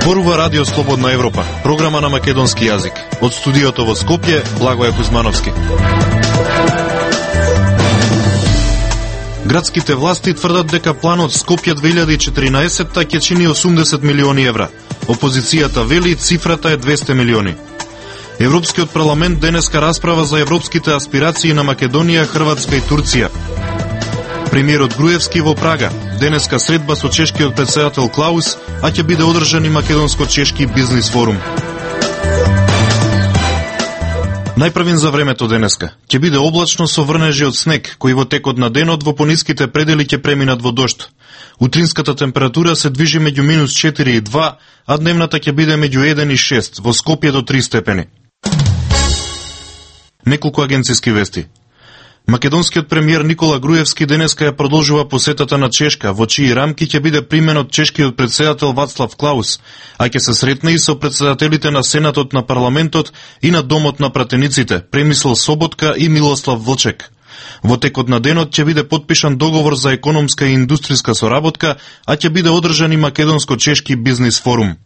Зборува Радио Слободна Европа, програма на македонски јазик. Од студиото во Скопје, Благоје Кузмановски. Градските власти тврдат дека планот Скопје 2014 ќе чини 80 милиони евра. Опозицијата вели цифрата е 200 милиони. Европскиот парламент денеска расправа за европските аспирации на Македонија, Хрватска и Турција. Премиерот Груевски во Прага. Денеска средба со чешкиот претседател Клаус, а ќе биде одржан и македонско-чешки бизнис форум. Најпрвин за времето денеска. Ќе биде облачно со врнежи од снег, кои во текот на денот во пониските предели ќе преминат во дожд. Утринската температура се движи меѓу -4 и 2, а дневната ќе биде меѓу 1 и 6, во Скопје до 3 степени. Неколку агенциски вести. Македонскиот премиер Никола Груевски денеска ја продолжува посетата на Чешка, во чии рамки ќе биде примен од чешкиот претседател Вацлав Клаус, а ќе се сретне и со претседателите на Сенатот на парламентот и на Домот на пратениците, Премисел Соботка и Милослав Влчек. Во текот на денот ќе биде потпишан договор за економска и индустријска соработка, а ќе биде одржан и македонско-чешки бизнис форум.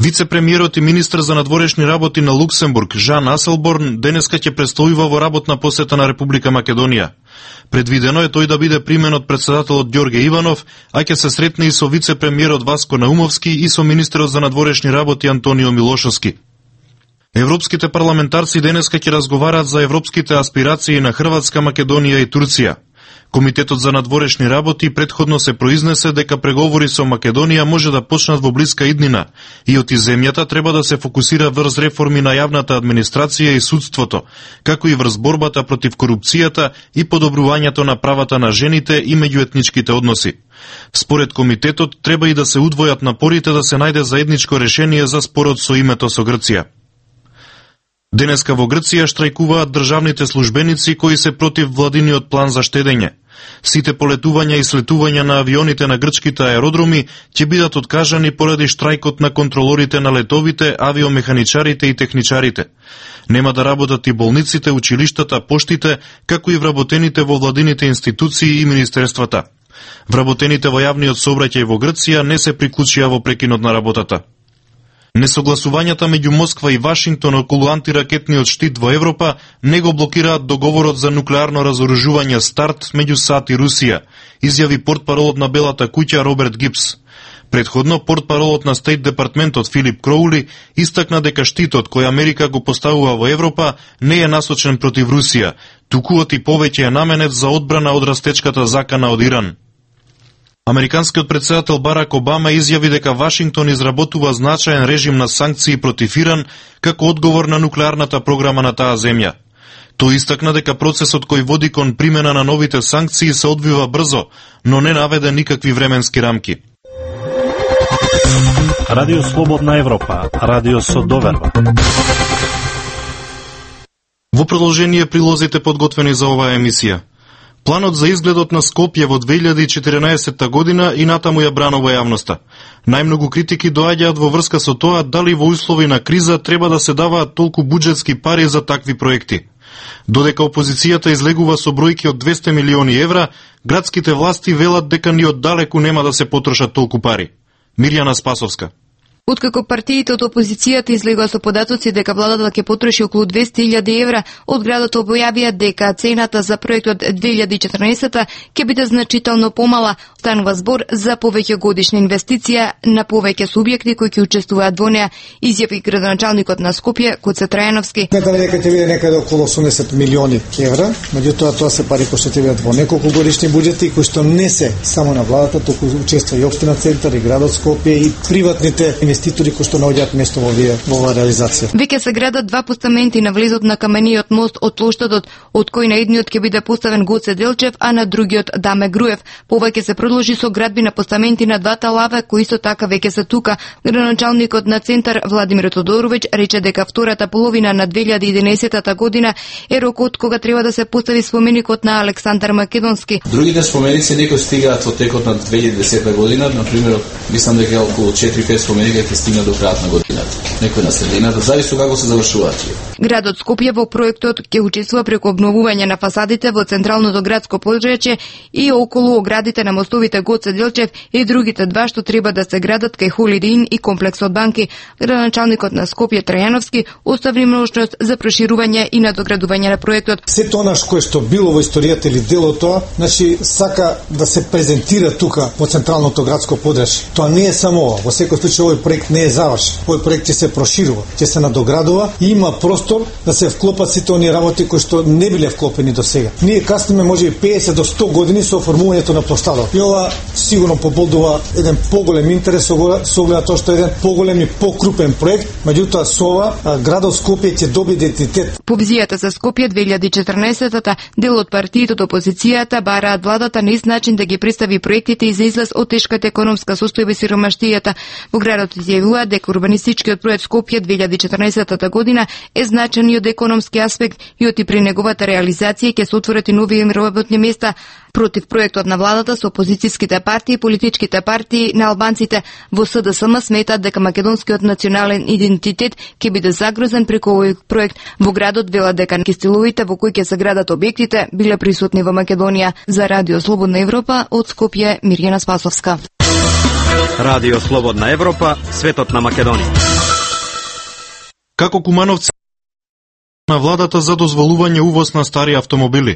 Вице-премиерот и министр за надворешни работи на Луксембург, Жан Аселборн, денеска ќе престојува во работна посета на Република Македонија. Предвидено е тој да биде примен од претседателот Ѓорге Иванов, а ќе се сретне и со вице-премиерот Васко Наумовски и со министерот за надворешни работи Антонио Милошовски. Европските парламентарци денеска ќе разговараат за европските аспирации на Хрватска, Македонија и Турција. Комитетот за надворешни работи претходно се произнесе дека преговори со Македонија може да почнат во блиска иднина и од земјата треба да се фокусира врз реформи на јавната администрација и судството, како и врз борбата против корупцијата и подобрувањето на правата на жените и меѓуетничките односи. Според комитетот треба и да се удвојат напорите да се најде заедничко решение за спорот со името со Грција. Денеска во Грција штрајкуваат државните службеници кои се против владиниот план за штедење. Сите полетувања и слетувања на авионите на грчките аеродроми ќе бидат откажани поради штрајкот на контролорите на летовите, авиомеханичарите и техничарите. Нема да работат и болниците, училиштата, поштите, како и вработените во владините институции и министерствата. Вработените во јавниот сообраќај во Грција не се приклучија во прекинот на работата. Несогласувањата меѓу Москва и Вашингтон околу антиракетниот штит во Европа не го блокираат договорот за нуклеарно разоружување СТАРТ меѓу САД и Русија, изјави портпаролот на Белата куќа Роберт Гипс. Предходно, портпаролот на Стейт департментот Филип Кроули истакна дека штитот кој Америка го поставува во Европа не е насочен против Русија, туку и повеќе е наменет за одбрана од растечката закана од Иран. Американскиот претседател Барак Обама изјави дека Вашингтон изработува значаен режим на санкции против Иран како одговор на нуклеарната програма на таа земја. Тој истакна дека процесот кој води кон примена на новите санкции се одвива брзо, но не наведе никакви временски рамки. Радио Слободна Европа, радио со доверба. Во продолжение прилозите подготвени за оваа емисија. Планот за изгледот на Скопје во 2014 година и натаму ја бранува јавноста. Најмногу критики доаѓаат во врска со тоа дали во услови на криза треба да се даваат толку буџетски пари за такви проекти. Додека опозицијата излегува со бројки од 200 милиони евра, градските власти велат дека ни оддалеку нема да се потрошат толку пари. Мирјана Спасовска. Откако партиите од опозицијата излегува со податоци дека владата ќе потроши околу 200.000 евра, од градот објавија дека цената за проектот 2014 ќе биде значително помала. Станува збор за повеќе годишна инвестиција на повеќе субјекти кои ќе учествуваат во неа, изјави градоначалникот на Скопје Гоце Трајановски. Сметаме дека ќе биде некаде околу 80 милиони евра, меѓутоа тоа се пари кои што ќе бидат во неколку годишни буџети кои што не се само на владата, туку учествува и општина Центар и градот Скопје и приватните инвеститори кои што наоѓаат место во оваа реализација. Веќе се градат два постаменти на влезот на камениот мост од плоштадот, од кој на едниот ќе биде поставен Гоце Делчев, а на другиот Даме Груев. Повеќе се продолжи со градби на постаменти на двата лаве, кои исто така веќе се тука. Градоначалникот на Центар Владимир Тодоровиќ рече дека втората половина на 2011 година е рокот кога треба да се постави споменикот на Александар Македонски. Другите споменици некои стигаат во текот на 2010 година, на пример, мислам дека околу 4-5 споменика ќе стигне до крајот на годината. Некој на средината, зависи како се завршуваат. Градот Скопје во проектот ќе учествува преку обновување на фасадите во централното градско подрачје и околу оградите на мостовите Гоце Делчев и другите два што треба да се градат кај Holiday Inn и комплексот банки. Градоначалникот на Скопје Трајановски остави можност за проширување и надоградување на проектот. Сето она што било во историјата или дел од тоа, значи сака да се презентира тука во централното градско подрачје. Тоа не е само ова. Во секој случај овој проект не е завршен. Овој проект ќе се проширува, ќе се надоградува и има простор да се вклопат сите оние работи кои што не биле вклопени до сега. Ние касниме можеби 50 до 100 години со оформувањето на площадот. И ова сигурно побудува еден поголем интерес со оглед тоа што е еден поголем и покрупен проект, меѓутоа со ова градот Скопје ќе добие идентитет. По визијата за Скопје 2014-та дел од партиите од опозицијата бараат владата на ист начин да ги представи проектите и за излаз од тешката економска состојба и сиромаштијата. Во градот изјавуваат дека урбанистичкиот проект Скопје 2014 година е значен и од економски аспект и од и при неговата реализација ќе се отворат и нови работни места. Против проектот на владата со опозицијските партии и политичките партии на албанците во СДСМ сметат дека македонскиот национален идентитет ќе биде загрозен преку овој проект. Во градот велат дека стиловите во кои ќе се градат објектите биле присутни во Македонија. За Радио Слободна Европа од Скопје Мирјана Спасовска. Радио Слободна Европа, светот на Македонија. Како кумановци на владата за дозволување увоз на стари автомобили.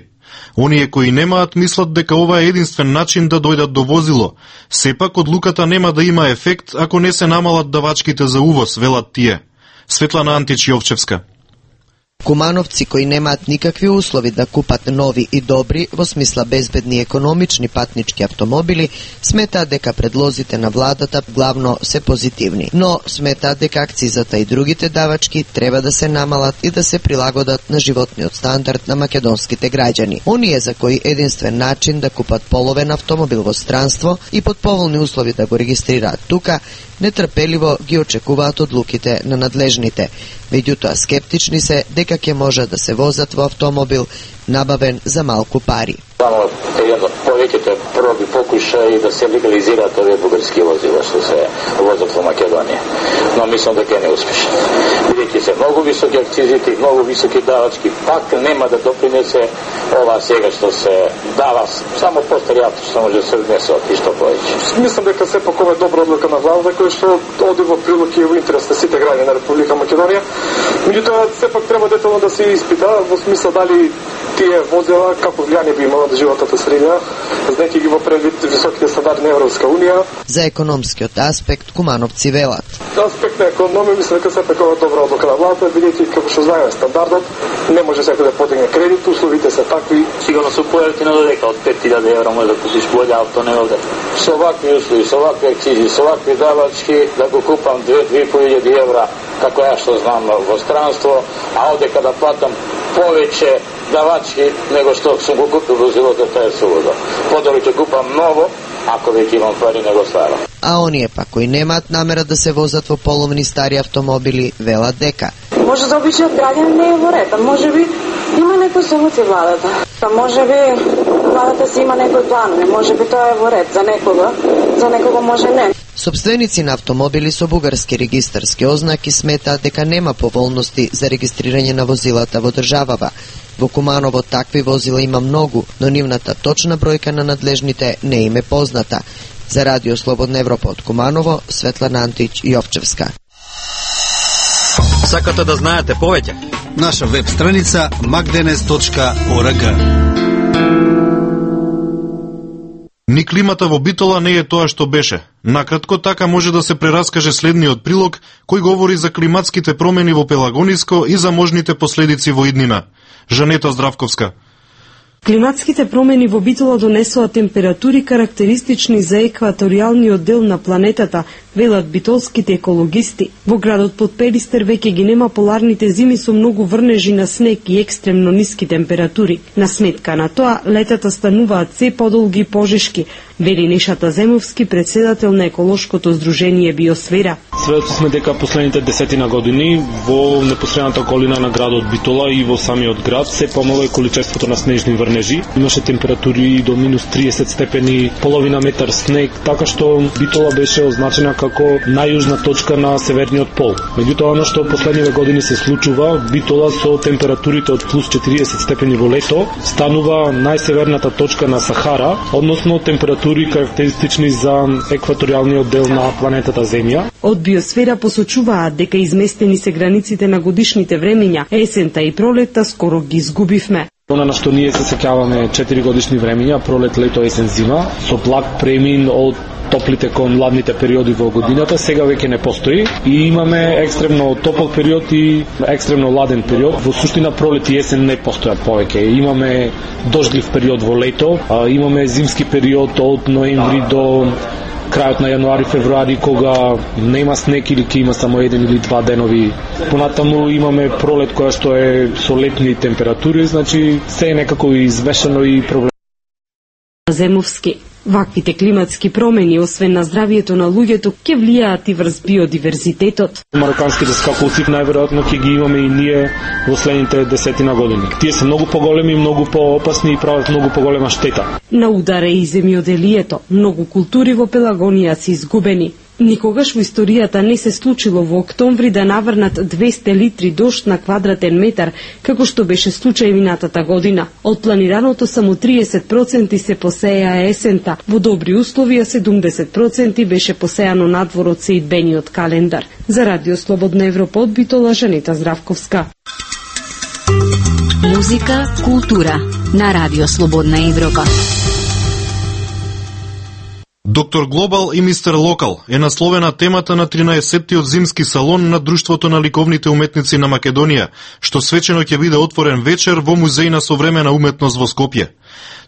Оние кои немаат мислат дека ова е единствен начин да дојдат до возило. Сепак одлуката нема да има ефект ако не се намалат давачките за увоз, велат тие. Светлана Антич Јовчевска. Кумановци кои немаат никакви услови да купат нови и добри, во смисла безбедни и економични патнички автомобили, сметаат дека предлозите на владата главно се позитивни. Но сметаат дека акцизата и другите давачки треба да се намалат и да се прилагодат на животниот стандард на македонските граѓани. Оние за кои единствен начин да купат половен автомобил во странство и под поволни услови да го регистрираат тука, нетрпеливо ги очекуваат одлуките на надлежните. Меѓутоа скептични се дека ќе може да се возат во автомобил набавен за малку пари. Само повеќето проби покушаи да се легализираат овие бугарски возила што се возат во Македонија. Но мислам дека не успешно. Бидејќи се многу високи акцизите и многу високи давачки, пак нема да допринесе ова сега што се дава само постари авто што може да се внесат и што повеќе. Мислам дека сепак ова е добра одлука на владата која што оди во прилог и во интерес на сите граѓани на Република Македонија. Меѓутоа сепак треба детално да се испита во смисла дали тие возила како влијание би имало на животната средина, знаејќи ги во предвид високите стандарди на Европска унија. За економскиот аспект кумановци велат. За аспект на економија мислам дека сепак ова е добра одлука на владата, бидејќи како што знаеме стандардот не може секој да подигне кредит, условите се такви. Сигурно се поевтино додека од 5000 евра може да купиш боле авто не овде. Со вакви услови, со вакви акцизи, со вакви давачки да го купам 2-2.500 евра, како ја што знам во странство, а овде када платам повеќе давачки него што сум го купил возилото, тоа е сулудо. Подобро ќе купам ново, ако веќе имам пари него старо. А оние пак кои немаат намера да се возат во половни стари автомобили велат дека може за обичниот граѓанин не е во ред, можеби има некој солуција владата. Можеби владата си има некој план, можеби тоа е во ред за некого може не. Собственици на автомобили со бугарски регистарски ознаки сметаат дека нема поволности за регистрирање на возилата во државава. Во Куманово такви возила има многу, но нивната точна бројка на надлежните не им е позната. За Радио Слободна Европа од Куманово, Светлана Антич Јовчевска. Сакате да знаете повеќе? Наша веб страница magdenes.org. Ни климата во Битола не е тоа што беше. Накратко така може да се прераскаже следниот прилог кој говори за климатските промени во Пелагониско и за можните последици во иднина. Жанета Здравковска. Климатските промени во Битола донесоа температури карактеристични за екваторијалниот дел на планетата, велат битолските екологисти. Во градот под Перистер веќе ги нема поларните зими со многу врнежи на снег и екстремно ниски температури. На сметка на тоа, летата стануваат се подолги и пожешки, вели Нешата Земовски, председател на еколошкото здружение Биосфера. Сведоци сме дека последните 10 години во непосредната околина на градот Битола и во самиот град се помало е количеството на снежни врнежи. Имаше температури до минус 30 степени, половина метар снег, така што Битола беше означена како најјужна точка на северниот пол. Меѓутоа, оно што последниве години се случува, Битола со температурите од плюс 40 степени во лето станува најсеверната точка на Сахара, односно температури карактеристични за екваторијалниот дел на планетата Земја. Од Биосфера посочуваат дека изместени се границите на годишните времења, есента и пролетта скоро ги изгубивме. Она на што ние се сеќаваме 4 годишни времења, пролет, лето, есен, зима, со благ премин од топлите кон ладните периоди во годината, сега веќе не постои и имаме екстремно топол период и екстремно ладен период. Во суштина пролет и есен не постојат повеќе. Имаме дождлив период во лето, имаме зимски период од ноември до крајот на јануари, февруари, кога нема снег или ќе има само 1 или 2 денови. Понатаму имаме пролет која што е со летни температури, значи се е некако извешено и проблем. Земовски. Ваквите климатски промени, освен на здравието на луѓето, ќе влијаат и врз биодиверзитетот. Мароканските скакулци најверојатно ќе ги имаме и ние во следните 10 години. Тие се многу поголеми, многу поопасни и прават многу поголема штета. На удар е и земјоделието. Многу култури во Пелагонија се изгубени. Никогаш во историјата не се случило во октомври да наврнат 200 литри дожд на квадратен метар, како што беше случај минатата година. Од планираното само 30% се посеја есента. Во добри услови, 70% беше посејано надвор од сеидбениот календар. За Радио Слободна Европа од Битола, Жанета Здравковска. Музика, култура на Радио Слободна Европа. Доктор Глобал и Мистер Локал е насловена темата на 13-тиот зимски салон на Друштвото на ликовните уметници на Македонија, што свечено ќе биде отворен вечер во Музеј на современа уметност во Скопје.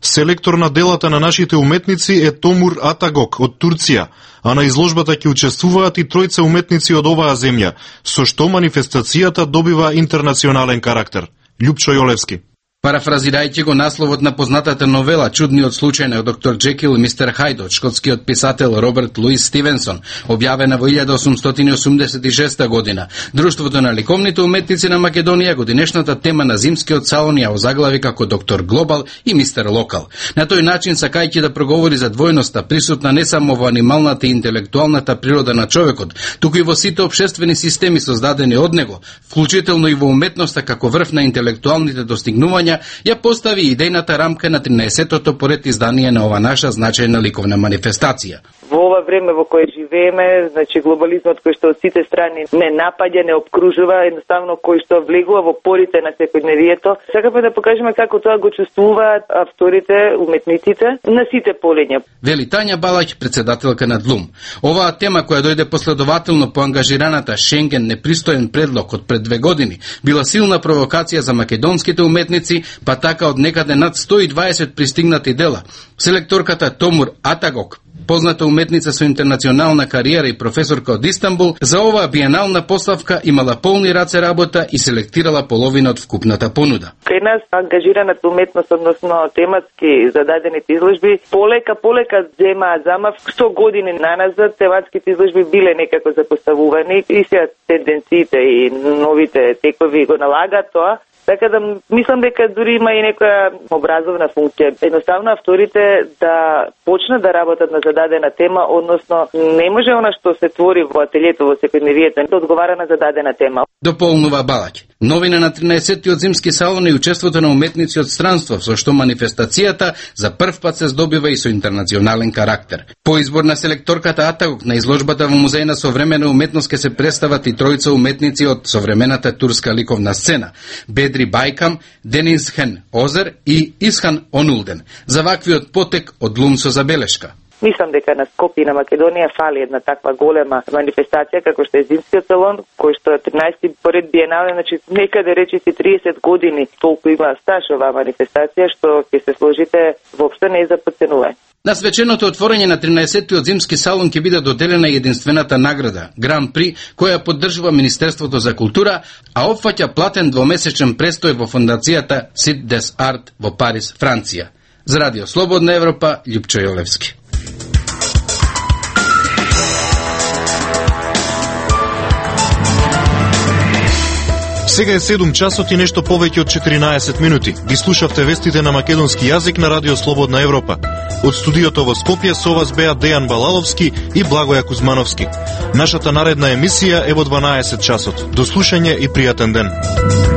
Селектор на делата на нашите уметници е Томур Атагок од Турција, а на изложбата ќе учествуваат и тројца уметници од оваа земја, со што манифестацијата добива интернационален карактер. Љупчо Јолевски. Парафразирајќи го насловот на познатата новела Чудниот случај на доктор Джекил и мистер Хайд од шкотскиот писател Роберт Луис Стивенсон, објавена во 1886 година, Друштвото на ликовните уметници на Македонија годинешната тема на зимскиот салон ја озаглави како доктор Глобал и мистер Локал. На тој начин, сакајќи да проговори за двојноста присутна не само во анималната и интелектуалната природа на човекот, туку и во сите општествени системи создадени од него, вклучително и во уметноста како врв на интелектуалните достигнувања, ја постави идејната рамка на 13-тото поред издание на ова наша значајна ликовна манифестација. Во ова време во кое живееме, значи глобализмот кој што од сите страни не напаѓа, не обкружува, едноставно кој што влегува во порите на секојдневието, сакаме да покажеме како тоа го чувствуваат авторите, уметниците на сите полиња. Вели Тања Балаќ, председателка на ДЛУМ. Оваа тема која дојде последователно по ангажираната Шенген непристоен предлог од пред 2 години, била силна провокација за македонските уметници, па така од некаде над 120 пристигнати дела. Селекторката Томур Атагок, позната уметница со интернационална кариера и професорка од Истанбул, за оваа биенална поставка имала полни раце работа и селектирала половина од вкупната понуда. Кај нас ангажираната уметност, односно тематски зададените изложби, полека земаат замав. 100 години наназад тематските изложби биле некако запоставувани и сега тенденциите и новите текови го налагаат тоа. Така да мислам дека дури има и некоја образовна функција. Едноставно авторите да почнат да работат на зададена тема, односно не може она што се твори во ателието во секојдневието да одговара на зададена тема. Дополнува Балаќ. Новина на 13-тиот зимски салон и учеството на уметници од странство, со што манифестацијата за прв пат се здобива и со интернационален карактер. По избор на селекторката Атагок на изложбата во Музеј на современа уметност ќе се представат и тројца уметници од современата турска ликовна сцена: Бедри Бајкам, Дениз Хен Озер и Исхан Онулден. За ваквиот потек од ДЛУМ со забелешка. Мислам дека на Скопје и на Македонија фали една таква голема манифестација како што е зимскиот салон, кој што е 13-ти поред биенале, значи некаде речиси 30 години толку има стаж оваа манифестација што ќе се сложите воопшто не е за подценување. На свеченото отворање на 13-тиот зимски салон ќе биде доделена единствената награда Гран При, која поддржува Министерството за култура, а опфаќа платен двомесечен престој во фондацијата Сит дес Арт во Париз, Франција. За Радио Слободна Европа, Љупчо Јолевски. Сега е 7 часот и нешто повеќе од 14 минути. Ги слушавте вестите на македонски јазик на Радио Слободна Европа. Од студиото во Скопје со вас беа Дејан Балаловски и Благоја Кузмановски. Нашата наредна емисија е во 12 часот. До слушање и пријатен ден.